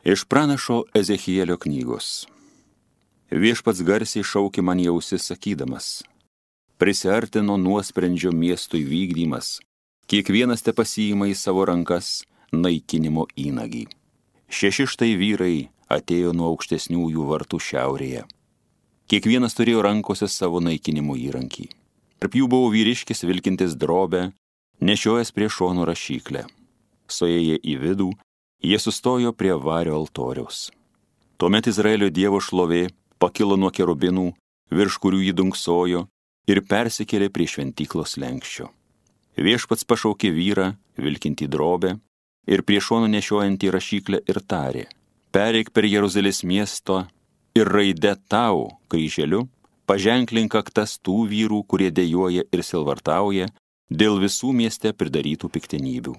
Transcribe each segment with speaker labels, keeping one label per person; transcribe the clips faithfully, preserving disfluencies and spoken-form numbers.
Speaker 1: Iš pranašo Ezechielio knygos. Viešpats garsiai šaukė man į ausis sakydamas: prisiartino nuosprendžio miestui vykdymas, kiekvienas te pasiima į savo rankas naikinimo įnagį. Šeši štai vyrai atėjo nuo aukštesniųjų vartų šiaurėje. Kiekvienas turėjo rankose savo naikinimo įrankį. Tarp jų buvo vyriškis vilkintis drobę, nešiojęs prie šono rašyklę. Suėję į vidų, jie sustojo prie vario altoriaus. Tuomet Izraelio Dievo šlovė pakilo nuo kerubinų, virš kurių jį dunksojo, ir persikėlė prie šventyklos lenkščio. Viešpats pašaukė vyrą, vilkintį drobę, ir prie šono nešiojantį rašyklę ir tarė: pereik per Jeruzalės miesto ir raide tau, kryželiu, paženklink aktas tų vyrų, kurie dejuoja ir silvartauja dėl visų mieste pridarytų piktenybių.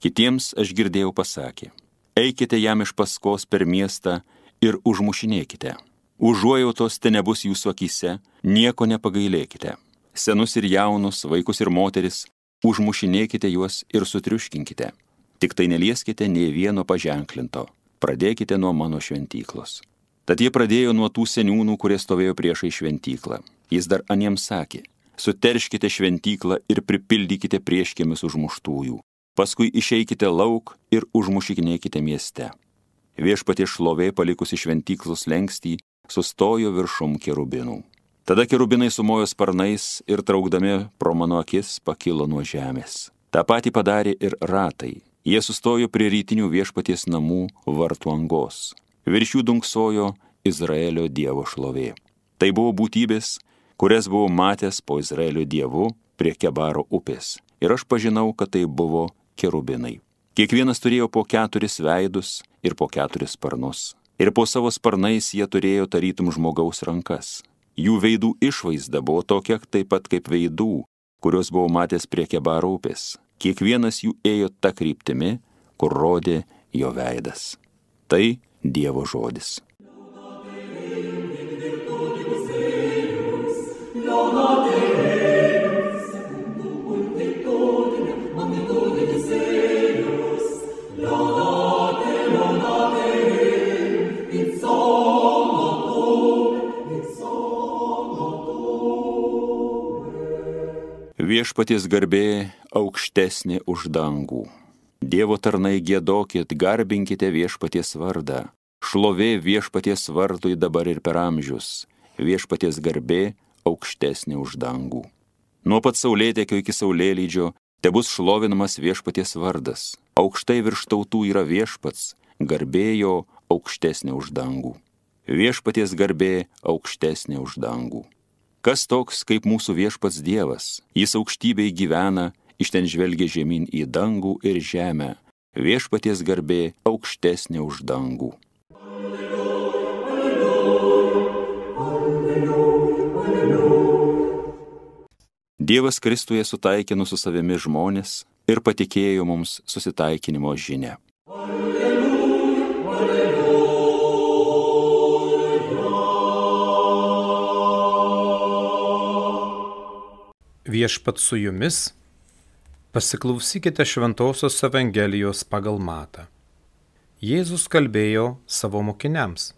Speaker 1: Kitiems aš girdėjau pasakė: eikite jam iš paskos per miestą ir užmušinėkite. Užuojautos te nebus jūsų akyse, nieko nepagailėkite. Senus ir jaunus, vaikus ir moteris, užmušinėkite juos ir sutriuškinkite. Tik tai nelieskite nei vieno paženklinto. Pradėkite nuo mano šventyklos. Tad jie pradėjo nuo tų seniūnų, kurie stovėjo priešai šventyklą. Jis dar aniems sakė: suterškite šventyklą ir pripildykite prieškėmis užmuštųjų. Paskui išeikite lauk ir užmušinėkite mieste. Viešpaties šlovė palikusi šventyklos lenkstį sustojo viršum kerubinų. Tada kerubinai sumojo sparnais ir traukdami pro mano akis pakilo nuo žemės. Ta patį padarė ir ratai. Jie sustojo prie rytinių Viešpaties namų vartų angos. Virš jų dunksojo Izraelio Dievo šlovė. Tai buvo būtybės, kurias buvau matęs po Izraelio Dievu prie Kebaro upės. Ir aš pažinau, kad tai buvo kerubinai. Kiekvienas turėjo po keturis veidus ir po keturis sparnus. Ir po savo sparnais jie turėjo tarytum žmogaus rankas. Jų veidų išvaizda buvo tokia taip pat kaip veidų, kurios buvau matęs prie Kebaro upės. Kiekvienas jų ėjo ta kryptimi, kur rodė jo veidas. Tai Dievo žodis. Viešpaties garbė aukštesnė už dangų. Dievo tarnai giedokit, garbinkite Viešpaties vardą. Šlovė Viešpaties vardui dabar ir per amžius. Viešpaties garbė aukštesnė už dangų. Nuo pat saulėtekio iki saulėlydžio tebus šlovinamas Viešpaties vardas. Aukštai virš tautų yra Viešpats, garbė jo aukštesnė už dangų. Viešpaties garbė aukštesnė už dangų. Kas toks kaip mūsų Viešpats Dievas? Jis aukštybėj gyvena, iš ten žvelgia žemyn į dangų ir žemę. Viešpaties garbė aukštesnė už dangų. Dievas Kristuje sutaikino su savimi žmonės ir patikėjo mums susitaikinimo žinią.
Speaker 2: Viešpats su jumis, pasiklausykite Šventosios Evangelijos pagal Matą. Jėzus kalbėjo savo mokiniams: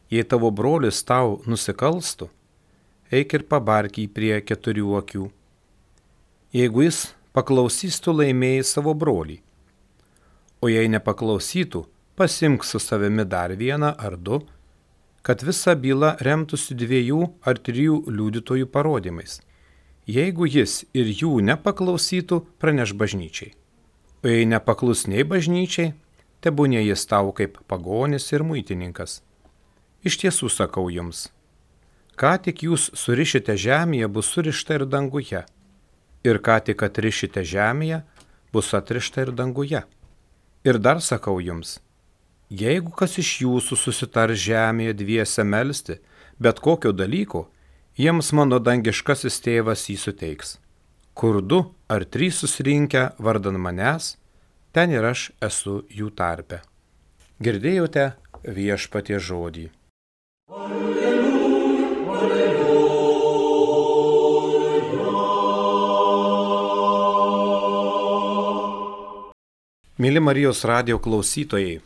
Speaker 2: jei tavo brolis tau nusikalstų, eik ir pabark jį prie keturių akių. Jeigu jis paklausys, tu laimėjai savo brolį. O jei nepaklausytų, pasimk su savimi dar vieną ar du, kad visa byla remtųsi dviejų ar trijų liudytojų parodymais. Jeigu jis ir jų nepaklausytų, praneš bažnyčiai. O jei nepaklus nei bažnyčiai, tebūnie jis tau kaip pagonis ir muitininkas. Iš tiesų sakau jums, ką tik jūs surišite žemėje, bus surišta ir danguje. Ir ką tik atrišite žemėje, bus atrišta ir danguje. Ir dar sakau jums, jeigu kas iš jūsų susitar žemėje dviese melsti, bet kokio dalyko, jiems mano dangiškasis tėvas jį suteiks. Kur du ar trys susirinkę vardan manęs, ten ir aš esu jų tarpe. Girdėjote Viešpaties žodį.
Speaker 3: Alleluja, alleluja.
Speaker 2: Mėly Marijos radijo klausytojai,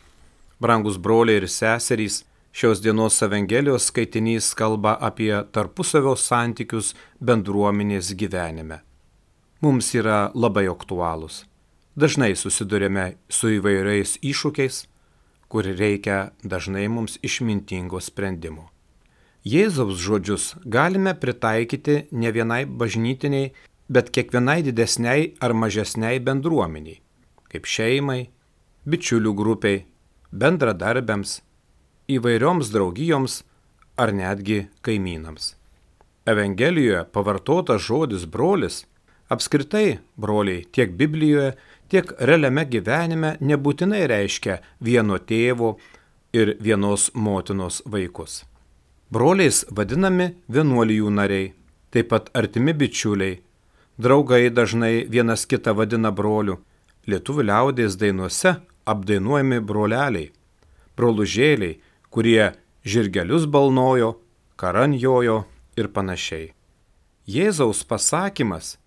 Speaker 2: Brangus broliai ir seserys, šios dienos Evangelijos skaitinys kalba apie tarpusavio santykius bendruomenės gyvenime. Mums yra labai aktualūs. Dažnai susidurėme su įvairiais iššūkiais, kur reikia dažnai mums išmintingo sprendimo. Jėzaus žodžius galime pritaikyti ne vienai bažnytiniai, bet kiekvienai didesniai ar mažesniai bendruomeniai, kaip šeimai, bičiulių grupiai, bendradarbiams, įvairioms draugijoms ar netgi kaimynams. Evangelijoje pavartotas žodis brolis, apskritai broliai tiek Biblijoje, tiek realiame gyvenime nebūtinai reiškia vieno tėvo ir vienos motinos vaikus. Broliais vadinami vienuolijų nariai, taip pat artimi bičiuliai, draugai dažnai vienas kitą vadina broliu, lietuvių liaudies dainuose apdainuojami broleliai, brolužėliai, kurie žirgelius balnojo, karanjojo ir panašiai. Jėzaus pasakymas,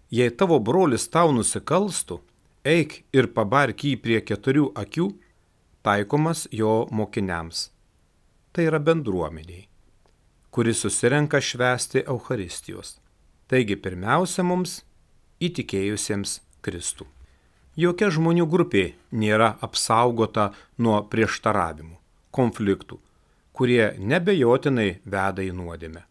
Speaker 2: jei tavo brolis tau nusikalstų, eik ir pabark jį prie keturių akių, taikomas jo mokiniams. Tai yra bendruomeniai, kuris susirenka švęsti Eucharistijos. Taigi pirmiausia mums įtikėjusiems Kristų. Jokia žmonių grupė nėra apsaugota nuo prieštaravimų, konfliktų, kurie nebejotinai veda į nuodėmę.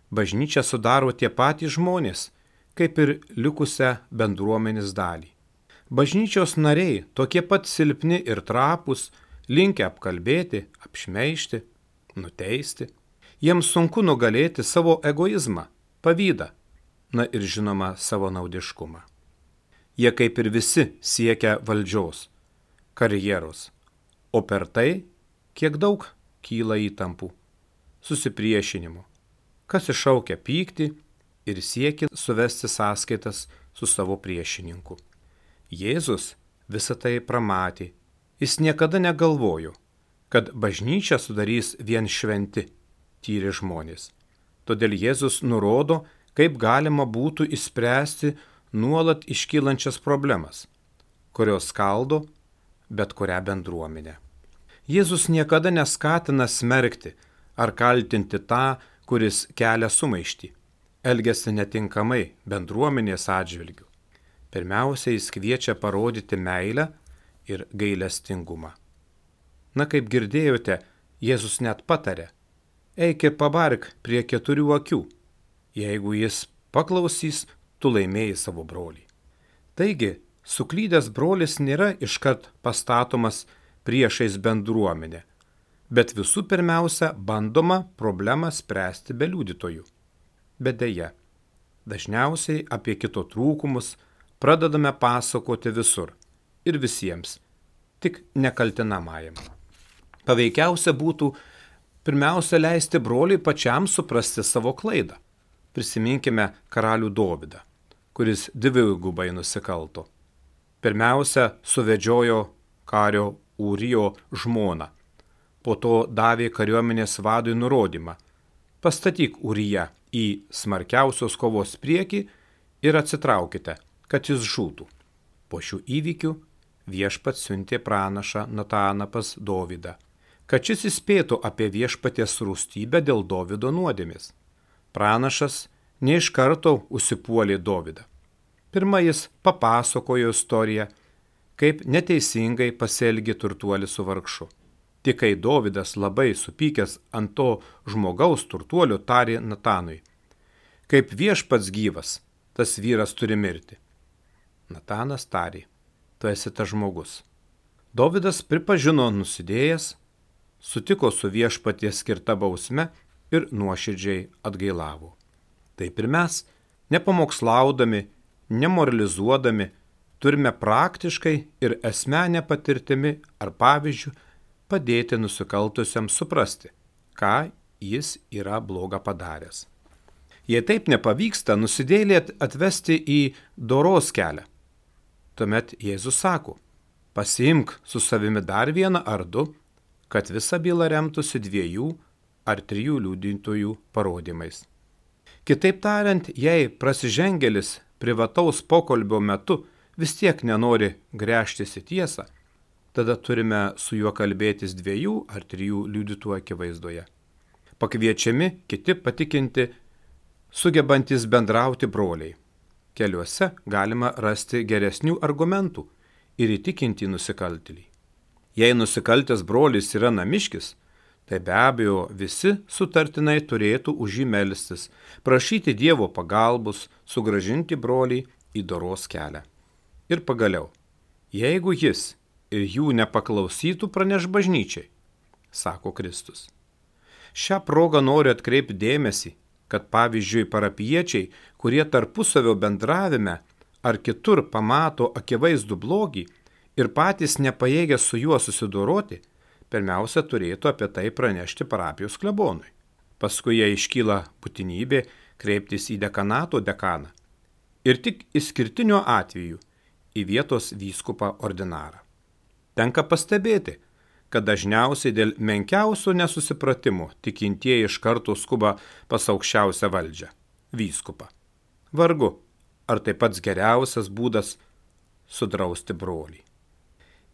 Speaker 2: Bažnyčia sudaro tie patys žmonės, kaip ir likusią bendruomenės dalį. Bažnyčios nariai tokie pat silpni ir trapūs, linkę apkalbėti, apšmeižti, nuteisti. Jiems sunku nugalėti savo egoizmą, pavydą, na ir žinoma savo naudiškumą. Jie kaip ir visi siekia valdžios, karjeros, o per tai kiek daug kyla įtampų, susipriešinimo, kas iššaukia pyktį ir siekia suvesti sąskaitas su savo priešininku. Jėzus visą tai pramatė, jis niekada negalvojo, kad bažnyčią sudarys vien šventi, tyri žmonės. Todėl Jėzus nurodo, kaip galima būtų išspręsti nuolat iškylančias problemas, kurios skaldo bet kurią bendruomenę. Jėzus niekada neskatina smerkti ar kaltinti tą, kuris kelia sumaištį, elgiasi netinkamai bendruomenės atžvilgiu. Pirmiausia, jis kviečia parodyti meilę ir gailestingumą. Na, kaip girdėjote, Jėzus net patarė, eik ir pabark prie keturių akių. Jeigu jis paklausys, tu laimėjai savo brolį. Taigi, suklydęs brolis nėra iškart pastatomas priešais bendruomenę, bet visų pirmiausia bandoma problemą spręsti be liudytojų. Bet deja, dažniausiai apie kito trūkumus pradedame pasakoti visur ir visiems, tik nekaltinamajam. Paveikiausia būtų pirmiausia leisti broliui pačiam suprasti savo klaidą. Prisiminkime karalių Dovydą, kuris dvigubai nusikalto. Pirmiausia, suvedžiojo kario Ūrijo žmoną. Po to davė kariuomenės vadui nurodymą. Pastatyk Ūriją į smarkiausios kovos priekį ir atsitraukite, kad jis žūtų. Po šių įvykių viešpats siuntė pranašą Nataną pas Dovydą, kad šis įspėtų apie viešpaties rūstybę dėl Dovydo nuodėmės. Pranašas ne iš karto užsipuolė Dovydą. Pirma jis papasakojo istoriją, kaip neteisingai pasielgė turtuolis su vargšu. Tik kai Dovydas labai supykęs ant to žmogaus turtuolio tarė Natanui, kaip viešpats gyvas, tas vyras turi mirti. Natanas tarė, tu esi tas žmogus. Dovydas pripažino nusidėjęs, sutiko su viešpaties skirta bausme ir nuoširdžiai atgailavo. Taip ir mes, nepamokslaudami, nemoralizuodami, turime praktiškai ir asmenę patirtimi ar pavyzdžių padėti nusikaltusiam suprasti, ką jis yra bloga padaręs. Jei taip nepavyksta, nusidėjėlį atvesti į doros kelią. Tuomet Jėzus sako, pasiimk su savimi dar vieną ar du, kad visa byla remtųsi dviejų ar trijų liudytojų parodymais. Kitaip tariant, jei prasižengėlis privataus pokalbio metu vis tiek nenori gręžtis į tiesą, tada turime su juo kalbėtis dviejų ar trijų liudytojų akivaizdoje. Pakviečiami kiti patikinti, sugebantis bendrauti broliai. Keliuose galima rasti geresnių argumentų ir įtikinti nusikaltėlį. Jei nusikaltęs brolis yra namiškis, tai be abejo visi sutartinai turėtų už jį melstis, prašyti Dievo pagalbos, sugrąžinti brolį į doros kelią. Ir pagaliau, jeigu jis ir jų nepaklausytų, praneš bažnyčiai, sako Kristus. Šią progą noriu atkreipti dėmesį, kad pavyzdžiui parapiečiai, kurie tarpusavio bendravime ar kitur pamato akivaizdų blogį ir patys nepajėgia su juo susidoroti, pirmiausia turėtų apie tai pranešti parapijos klebonui. Paskui jai iškyla būtinybė kreiptis į dekanato dekaną ir tik išskirtiniu atveju į vietos vyskupą ordinarą. Tenka pastebėti, kad dažniausiai dėl menkiausio nesusipratimo tikintieji iš karto skuba pas aukščiausią valdžią – vyskupą. Vargu, ar tai pats geriausias būdas sudrausti brolį.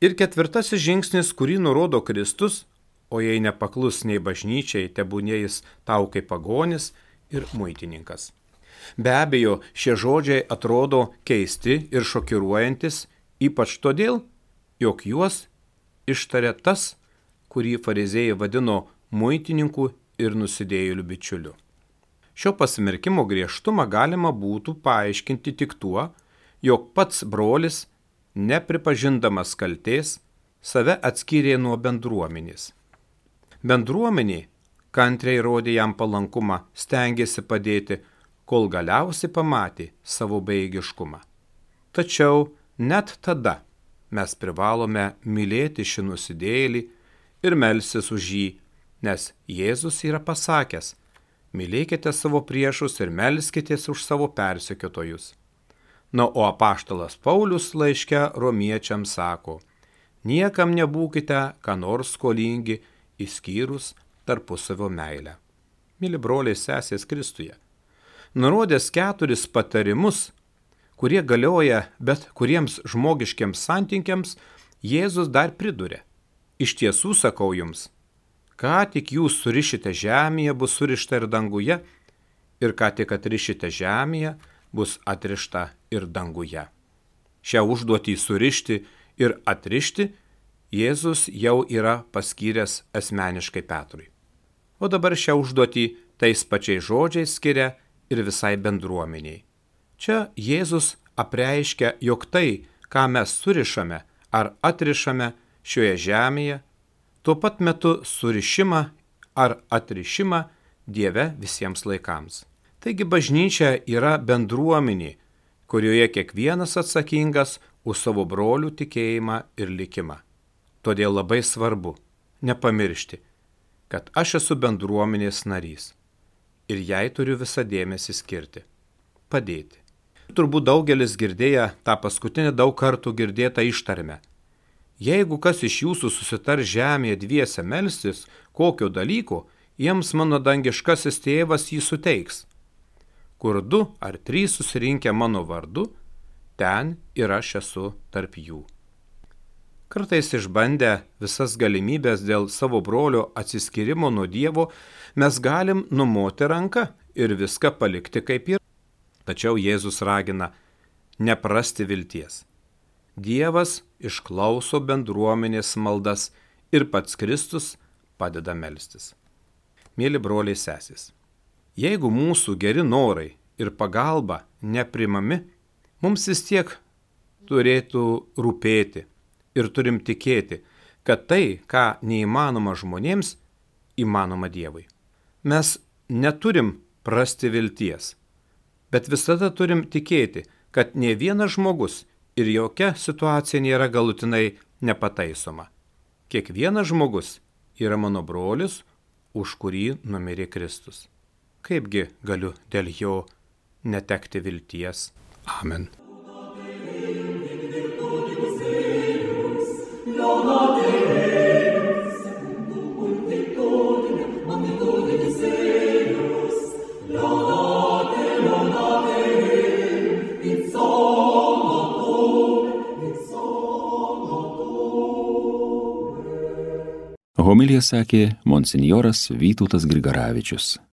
Speaker 2: Ir ketvirtasis žingsnis, kurį nurodo Kristus, o jei nepaklus nei bažnyčiai, tebūnie jis tau kaip pagonis ir muitininkas. Be abejo, šie žodžiai atrodo keisti ir šokiruojantis, ypač todėl, jog juos ištarė tas, kurį fariziejai vadino muitininku ir nusidėjėliu bičiuliu. Šio pasmerkimo griežtumą galima būtų paaiškinti tik tuo, jog pats brolis, nepripažindamas kaltės, save atskyrė nuo bendruomenės. Bendruomenė kantriai rodė jam palankumą, stengėsi padėti, kol galiausiai pamatė savo bejėgiškumą. Tačiau net tada mes privalome mylėti šį nusidėjėlį ir melstis už jį, nes Jėzus yra pasakęs, mylėkite savo priešus ir melskitės už savo persekiotojus. Na, o apaštalas Paulius laiške romiečiams sako, niekam nebūkite ką nors skolingi, išskyrus tarpusavio meilę. Mili broliai sesės Kristuje, nurodęs keturis patarimus, kurie galioja bet kuriems žmogiškiams santykiams, Jėzus dar priduria. Iš tiesų sakau jums, ką tik jūs surišite žemėje, bus surišta ir danguje, ir ką tik atrišite žemėje, bus atrišta ir danguje. Šią užduotį surišti ir atrišti Jėzus jau yra paskyręs asmeniškai Petrui. O dabar šią užduotį tais pačiais žodžiais skiria ir visai bendruomeniai. Čia Jėzus apreiškia, jog tai, ką mes surišame ar atrišame šioje žemėje, tuo pat metu surišimą ar atrišimą Dieve visiems laikams. Taigi bažnyčia yra bendruomenė, kurioje kiekvienas atsakingas už savo brolių tikėjimą ir likimą. Todėl labai svarbu nepamiršti, kad aš esu bendruomenės narys ir jai turiu visą dėmesį skirti, padėti. Turbūt daugelis girdėję tą paskutinį daug kartų girdėtą ištarmę. Jeigu kas iš jūsų susitar žemėje dviese melstis, kokio dalyko, jiems mano dangiškasis tėvas jį suteiks. Kur du ar trys susirinkę mano vardu, ten ir aš esu tarp jų. Kartais išbandę visas galimybės dėl savo brolio atsiskyrimo nuo Dievo, mes galim numoti ranką ir viską palikti kaip yra. Tačiau Jėzus ragina neprasti vilties. Dievas išklauso bendruomenės maldas ir pats Kristus padeda melstis. Mėly broliai sesės, jeigu mūsų geri norai ir pagalba neprimami, mums vis tiek turėtų rūpėti ir turim tikėti, kad tai, ką neįmanoma žmonėms, įmanoma Dievui. Mes neturim prasti vilties, bet visada turim tikėti, kad ne vienas žmogus ir jokia situacija nėra galutinai nepataisoma. Kiekvienas žmogus yra mano brolis, už kurį numirė Kristus. Kaipgi galiu dėl jo netekti vilties? Amen.
Speaker 3: It's all
Speaker 1: Homiliją sakė monsinjoras Vytautas Grigaravičius.